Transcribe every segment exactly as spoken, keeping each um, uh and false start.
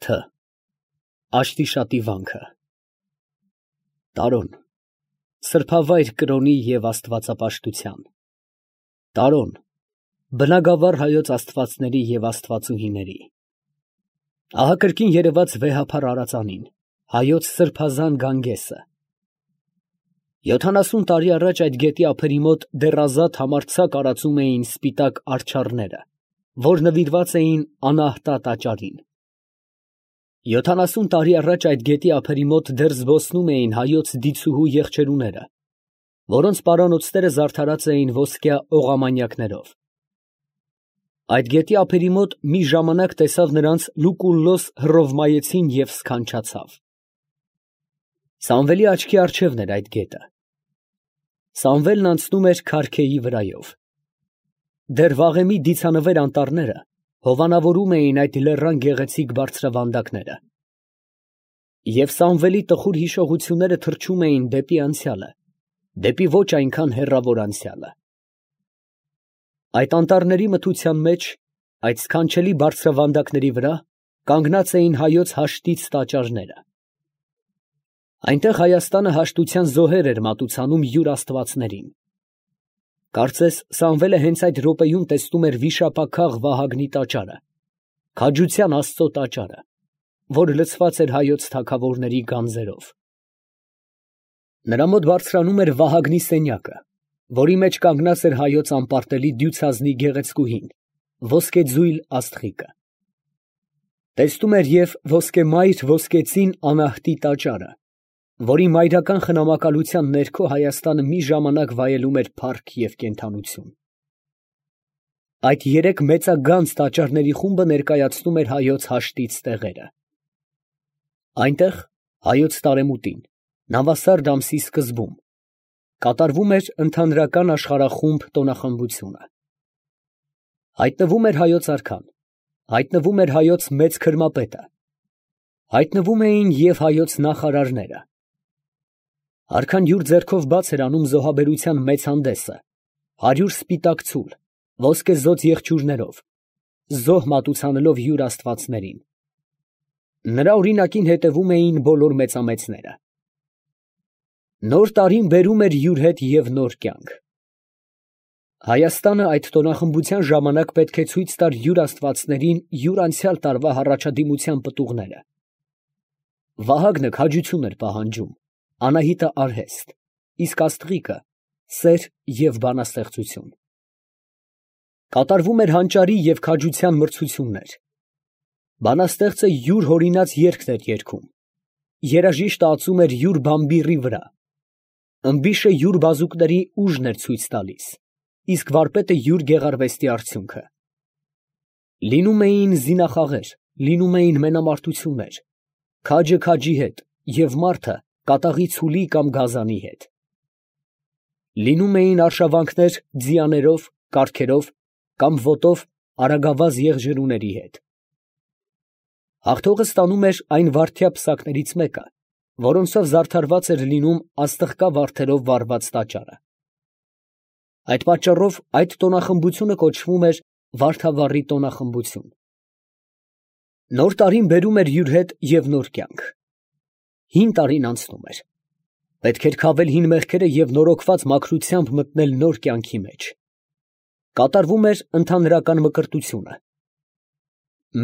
Թ. Աշտիշատի վանքը։ Տարոն, սրբավայր կրոնի և աստվածապաշտության։ Տարոն, բնագավառ հայոց աստվածների և աստվածուհիների։ Ահա կրկին երևաց վեհափառ արածանին, հայոց սրբազան գանգեսը։ Յոթանասուն տարի առաջ այդ գետի ափերի մոտ դեռ ազատ համարձակ արածում էին սպիտակ արջառները, որ նվիրված էին անահտա տաճարին։ Յոթանասուն տարի առաջ այդ գետի ափերի մոտ դեռ զբոսնում էին հայոց դիցուհու եղջերուները, որոնց պարանոցները զարդարած էին ոսկյա օղամանյակներով։ Այդ գետի ափերի մոտ մի ժամանակ տեսավ նրանց Լուկուլլոս հռովմայեցին և սքանչացավ։ Սամվելի աչքի առջևն էր այդ գետը։ Սամվելն անցնում էր Քարքեի վրայով։ Դեռ վաղեմի դիցանվեր անտառները հովանավորում էին այդ լեռան գեղեցիկ բարձրավանդակները։ Եվ Սամվելի տխուր հիշողությունները թռչում էին դեպի անցյալը, դեպի ոչ այնքան հեռավոր անցյալը։ Այդ անտառների մթության մեջ, այդ սքանչելի բարձրավանդակների վրա կանգնած էին հայոց հաշտից տաճարները։ Այնտեղ Հայաստանը հաշտության զոհեր էր մատուցանում յուր աստվածներին։ Կարծես Սամվելը հենց այդ րոպեում տեսնում էր վիշապաքաղ Վահագնի տաճարը, քաջության Աստծո տաճարը, որ լցված էր հայոց թագավորների գանձերով։ Նրա մոտ բարձրանում էր Վահագնի սենյակը, որի մեջ կանգնած էր հայոց անպարտելի դյուցազնի գեղեցկուհին, ոսկեձույլ աստղիկը։ Տեսնում էր և ոսկեմայր ոսկեծին անահտի տաճարը, որի մայրական խնամակալության ներքո Հայաստանը մի ժամանակ վայելում էր փառք և կենդանություն։ Այդ երեք մեծագանձ տաճարների խումբը ներկայացնում էր հայոց հաշտից տեղերը։ Այնտեղ, հայոց տարեմուտին, նավասարդ ամսի սկզբում, կատարվում էր ընդհանրական աշխարհախումբ տոնախմբությունը։ Հայտնվում էր հայոց արքան, հայտնվում էր հայոց մեծ քրմապետը, հայտնվում էին և հայոց նախարարները։ Արքան յուր ձեռքով բաց էր անում զոհաբերության մեծ հանդեսը, հարյուր սպիտակ ցուլ, ոսկեզօծ եղջյուրներով, զոհ մատուցանելով յուր աստվածներին։ Նրա օրինակին հետևում էին բոլոր մեծամեծները։ Նոր տարին բերում էր յուր հետ և նոր կյանք։ Հայաստանը այդ տոնախմբության ժամանակ պետք է ցույց տար յուր աստվածներին յուր անցյալ տարվա հառաջադիմության պտուղները։ Վահագնը քաջություն էր պահանջում, Անահիտը արհեստ, իսկ աստղիկը սեր և բանաստեղծություն։ Կատարվում էր հանճարի և քաջության մրցություններ։ Բանաստեղծը յուր հորինած երգն էր երգում, երաժիշտը ածում էր յուր բամբիռի վրա, ըմբիշը յուր բազուկների ուժն էր ցույց տալիս, իսկ վարպետը յուր գեղարվեստի արդյունքը։ Լինում էին զինախաղեր, լինում էին մենամարտություններ, քաջը քաջի հետ և մարդը կատաղի ցուլի կամ գազանի հետ։ Լինում էին արշավանքներ ձիաներով, կառքերով կամ ոտով արագավազ եղջերուների հետ։ Հաղթողը ստանում էր այն վարդյա պսակներից մեկը, որոնցով զարդարված էր լինում աստղկա վարդերով վառված տաճարը։ Այդ պատճառով այդ տոնախմբությունը կոչվում էր Վարդավառի տոնախմբություն։ Նոր տարին բերում էր յուր հետ և նոր կյանք։ Հին տարին անցնում էր։ Պետք էր քավել հին մեղքերը և նորոգված մաքրությամբ մտնել նոր կյանքի մեջ։ Կատարվում էր ընդհանրական մկրտությունը։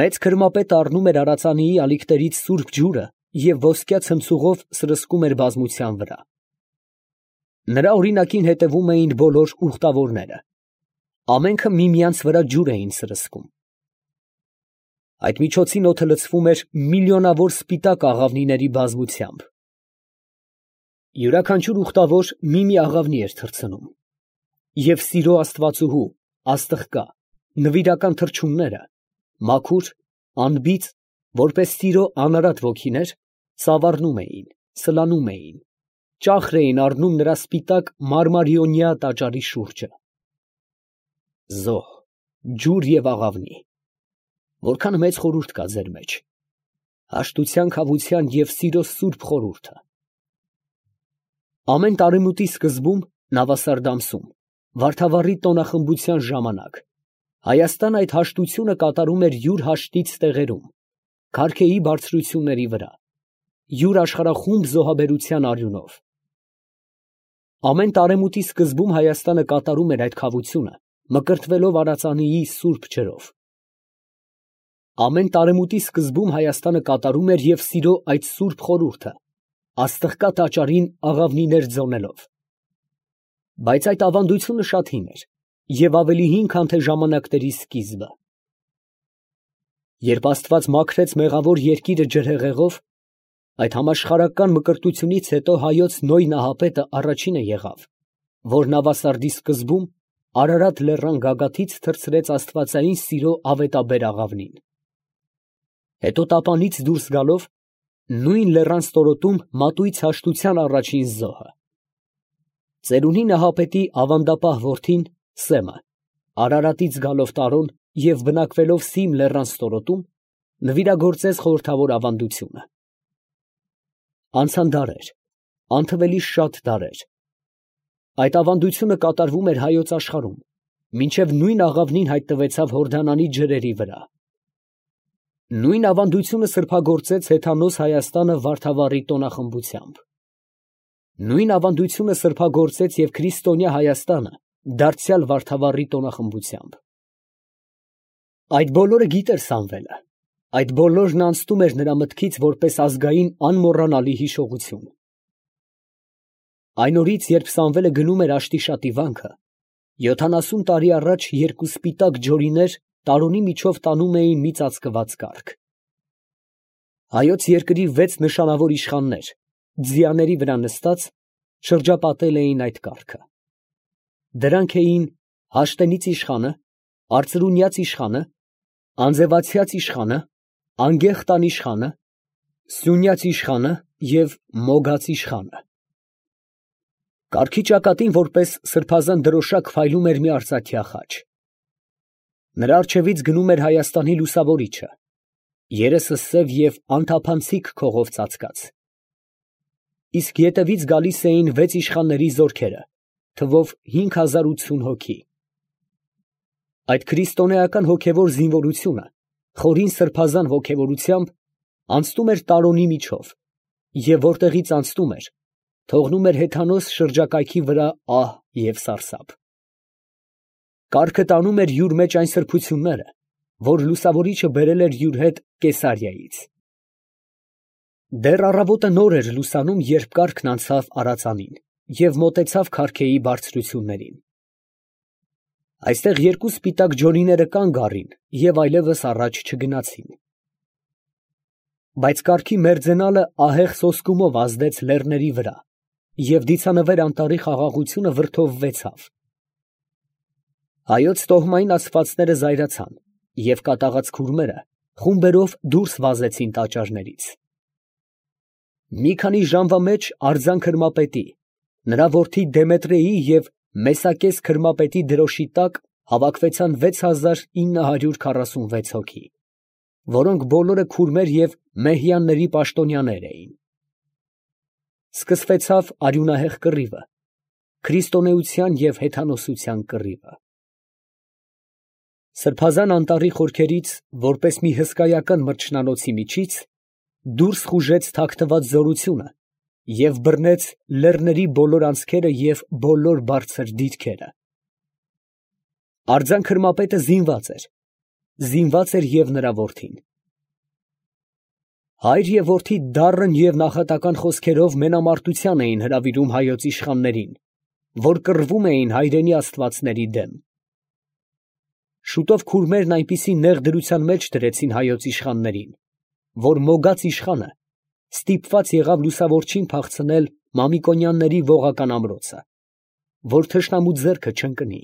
Մեծ քրմապետը առնում էր արածանիի ալիքներից սուրբ ջուրը և ոսկյա ցնցուղով սրսկում էր բազմության վրա։ Նրա օրինակին հետևում էին բոլոր ուխտավորները։ Ամենքը միմյանց վրա ջուր էին սրսկում։ Այդ միջոցին օդը լցվում էր միլիոնավոր սպիտակ աղավնիների բազմությամբ։ Յուրաքանչյուր ուխտավոր մի֊մի աղավնի էր թռցնում, և սիրո աստվածուհու, աստղկա, նվիրական թռչունները, մաքուր, անբիծ, որպես սիրո անարատ ոգիներ, ծավառնում էին, սլանում էին, ճախր էին առնում նրա սպիտակ մարմարիոնյա տաճարի շուրջը։ Զոհ, ջուր և աղավնի, որքան մեծ խորհուրդ կա ձեր մեջ, հաշտության, քավության և սիրո սուրբ խորհուրդը։ Ամեն տարեմուտի սկզբում, նավասարդ ամսում, Վարդավառի տոնախմբության ժամանակ, Հայաստանը այդ հաշտությունը կատարում էր յուր հաշտից տեղերում, Քարքեի բարձրությունների վրա, յուր աշխարհախումբ զոհաբերության արյունով։ Ամեն տարեմուտի սկզբում Հայաստանը կատարում էր այդ քավությունը, մկրտվելով Արածանիի սուրբ ջրով։ Ամեն տարեմուտի սկզբում Հայաստանը կատարում էր և սիրո այդ սուրբ խորհուրդը, աստղկա տաճարին աղավնիներ ձոնելով։ Բայց այդ ավանդությունը շատ հին էր և ավելի հին, քան թե ժամանակների սկիզբը։ Երբ Աստված մաքրեց մեղավոր երկիրը ջրհեղեղով, այդ համաշխարհական մկրտությունից հետո հայոց Նոյ Նահապետը առաջինը եղավ, որ Նավասարդի սկզբում Արարատ լեռան գագաթից թռցրեց աստվածային սիրո ավետաբեր աղավնին։ Հետո տապանից դուրս գալով, նույն լեռան ստորոտում մատույց հաշտության առաջին զոհը։ Ծերունի Նահապետի ավանդապահ որդին Սեմը, Արարատից գալով Տարոն և բնակվելով Սիմ լեռան ստորոտում, նվիրագործեց խորհրդավոր ավանդությունը։ Անցան դարեր, անթվելի շատ դարեր։ Այդ ավանդությունը կատարվում էր հայոց աշխարհում, մինչև նույն աղավնին հայտնվեցավ Հորդանանի ջրերի վրա։ Նույն ավանդությունը սրբագործեց հեթանոս Հայաստանը Վարդավառի տոնախմբությամբ։ Նույն ավանդությունը սրբագործեց և քրիստոնյա Հայաստանը դարձյալ Վարդավառի տոնախմբությամբ։ Այդ բոլորը գիտեր Սամվելը, այդ բոլորն անցնում էր նրա մտքից որպես ազգային անմոռանալի հիշողություն։ Այն օրից, երբ Սամվելը գնում էր Աշտիշատի վանքը, յոթանասուն տարի առաջ երկու սպիտակ ջորիներ Տարոնի միջով տանում էին մի ծածկված կառք։ Հայոց երկրի վեց նշանավոր իշխաններ, ձիաների վրա նստած, շրջապատել էին այդ կառքը։ Դրանք էին Հաշտենից իշխանը, Արծրունյաց իշխանը, Անձևացյաց իշխանը, Անգեղտան իշխանը, Սյունյաց իշխանը և Մոգաց իշխանը։ Կառքի ճակատին որպես սրբազան դրոշակ փայլում էր մի արծաթյա խաչ։ Նրա առջևից գնում էր Հայաստանի լուսավորիչը, երեսը սև և անթափանցիկ քողով ծածկած։ Իսկ ետևից գալիս էին վեց իշխանների զորքերը, թվով հինգ հազար ութսուն հոգի։ Այդ քրիստոնեական հոգևոր զինվորությունը, խորին սրբազան ոգևորությամբ, անցնում էր Տարոնի միջով, և որտեղից անցնում էր, թողնում էր հեթանոս շրջակայքի վրա ահ և սարսափ։ Կառքը տանում էր յուր մեջ այն սրբությունները, որ լուսավորիչը բերել էր յուր հետ Կեսարիայից։ Դեռ առավոտը նոր էր լուսանում, երբ կառքն անցավ Արածանին և մոտեցավ Քարքեի բարձրություններին։ Այստեղ երկու սպիտակ ջորիները կանգ առին և այլևս առաջ չգնացին։ Բայց կառքի մերձենալը ահեղ սոսկումով ազդեց լեռների վրա, և դիցանվեր անտառի խաղաղությունը վրդովվեցավ։ Հայոց տոհմային ասվածները զայրացան, և կատաղած քուրմերը խումբերով դուրս վազեցին տաճարներից։ Մի քանի ժամվա մեջ արձան քրմապետի, նրա որդի Դեմետրեի և Մեսակես քրմապետի դրոշի տակ հավաքվեցան վեց հազար ինը հարյուր քառասունվեց հոգի, որոնք բոլորը քուրմեր և մեհյանների պաշտոնյաներ էին։ Սկսվեցավ արյունահեղ կռիվը, քրիստոնեության և հեթանոսության կռիվը։ Սրբազան անտառի խորքերից, որպես մի հսկայական մրջնանոցի միջից, դուրս խուժեց թաքնված զորությունը և բռնեց լեռների բոլոր անցքերը և բոլոր բարձր դիրքերը։ Արձան քրմապետը զինված էր, զինված էր և նրա որդին։ Հայր և որդի դառն և նախատական խոսքերով մենամարտության էին հրավիրում հայոց իշխաններին, որ կռվում էին հայրենի աստվածների դեմ։ Շուտով քուրմերն այնպիսի նեղ դրության մեջ դրեցին հայոց իշխաններին, որ Մոգաց իշխանը ստիպված եղավ լուսավորչին փախցնել Մամիկոնյանների ողական ամրոցը, որ թշնամու ձեռքը չընկնի։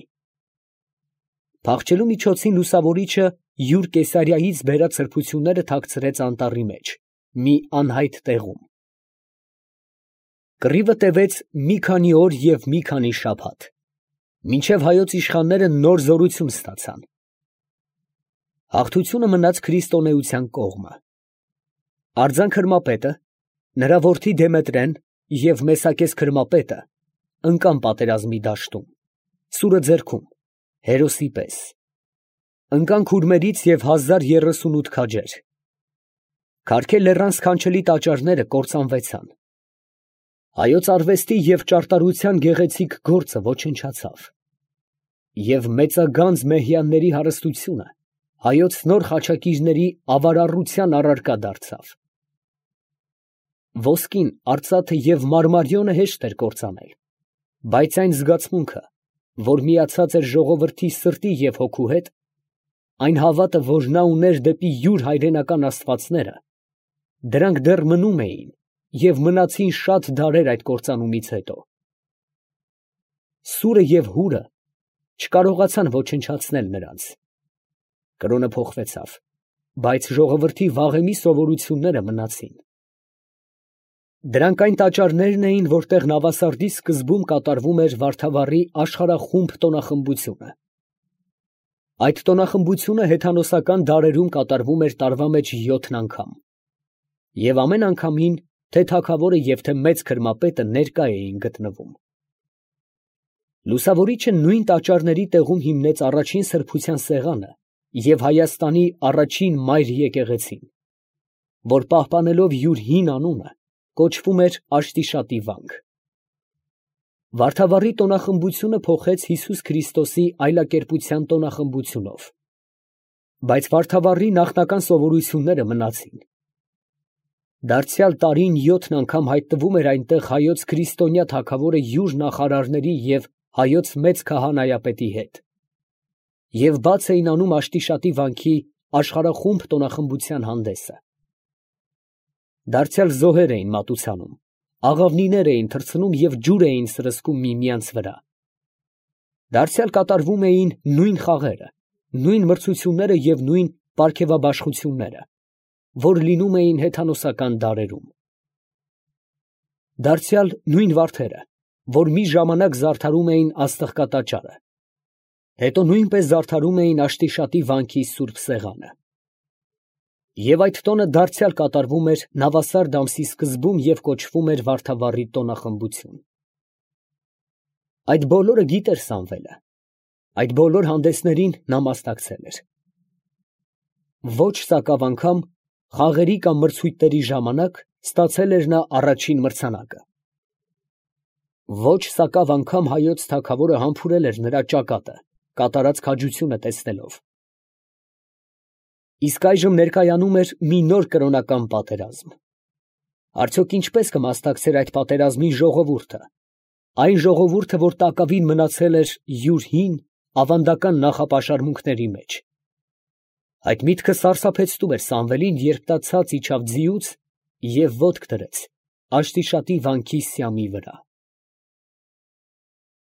Փախչելու միջոցին լուսավորիչը յուր Կեսարիայից բերած սրբությունները թաքցրեց անտառի մեջ, մի անհայտ տեղում։ Կռիվը տևեց մի քանի օր և մի քանի շաբաթ, մինչև հայոց իշխանները նոր զորություն ստացան։ Հաղթությունը մնաց քրիստոնեության կողմը։ Արձան քրմապետը, նրա որդի Դեմետրեն և Մեսակես քրմապետը ընկան պատերազմի դաշտում, սուրը ձեռքում, հերոսի պես։ Ընկան քուրմերից և հազար երեսունութ քաջեր։ Քարքե լեռան սքանչելի տաճարները կործանվեցան։ Հայոց արվեստի և ճարտարության գեղեցիկ գործը ոչնչացավ։ Եվ մեծագանձ մեհյանների հարստությունը հայոց նոր խաչակիրների ավարառության առարկա դարձավ։ Ոսկին, արծաթը և մարմարիոնը հեշտ էր կործանել, բայց այն զգացմունքը, որ միացած էր ժողովրդի սրտի և հոգու հետ, այն հավատը, որ նա ուներ դեպի յուր հայրենական աստվածները, դրանք դեռ մնում էին և մնացին շատ դարեր այդ կործանումից հետո։ Սուրը և հուրը չկարողացան ոչնչացնել նրանց։ Կրոնը փոխվեցավ, բայց ժողովրդի վաղեմի սովորությունները մնացին։ Դրանք այն տաճարներն էին, որտեղ Նավասարդի սկզբում կատարվում էր Վարդավառի աշխարհախումբ տոնախմբությունը։ Այդ տոնախմբությունը հեթանոսական դարերում կատարվում էր տարվա մեջ յոթ անգամ, և ամեն անգամին թե թագավորը և թե մեծ քրմապետը ներկա էին գտնվում։ Լուսավորիչը նույն տաճարների տեղում հիմնեց առաջին սրբության սեղանը և Հայաստանի առաջին մայր եկեղեցին, որ պահպանելով յուր հին անունը, կոչվում էր Աշտիշատի վանք։ Վարդավառի տոնախմբությունը փոխեց Հիսուս Քրիստոսի այլակերպության տոնախմբությունով, բայց Վարդավառի նախնական սովորությունները մնացին։ Դարձյալ տարին յոթ անգամ հայտնվում էր այնտեղ հայոց քրիստոնյա թագավորը յուր նախարարների և հայոց մեծ քահանայապետի հետ, և բաց էին անում Աշտիշատի վանքի աշխարհախումբ տոնախմբության հանդեսը։ Դարձյալ զոհեր էին մատուցանում, աղավնիներ էին թռցնում և ջուր էին սրսկում միմյանց վրա։ Դարձյալ կատարվում էին նույն խաղերը, նույն մրցությունները և նույն պարգևաբաշխությունները, որ լինում էին հեթանոսական դարերում։ Դարձյալ նույն վարդերը, որ մի ժամանակ զարդարում էին Աստղկա տաճարը, հետո նույնպես զարդարում էին Աշտիշատի վանքի սուրբ սեղանը։ Եվ այդ տոնը դարձյալ կատարվում էր Նավասարդ ամսի սկզբում և կոչվում էր Վարդավառի տոնախմբություն։ Այդ բոլորը գիտեր Սամվելը, այդ բոլոր հանդեսներին նա մասնակցել էր։ Ոչ սակավ անգամ խաղերի կամ մրցույթների ժամանակ ստացել էր նա առաջին մրցանակը։ Ոչ սակավ անգամ հայոց թագավորը համբուրել էր նրա ճակատը, կատարած քաջությունը տեսնելով։ Իսկ այժմ ներկայանում էր մի նոր կրոնական պատերազմ։ Արդյոք ինչպե՞ս կմասնակցեր այդ պատերազմին ժողովուրդը, այն ժողովուրդը, որ տակավին մնացել էր յուր հին, ավանդական նախապաշարմունքների մեջ։ Այդ միտքը սարսափեցնում էր Սամվելին, երբ նա ցած իջավ ձիուց և ոտք դրեց Աշտիշատի վանքի սյամի վրա։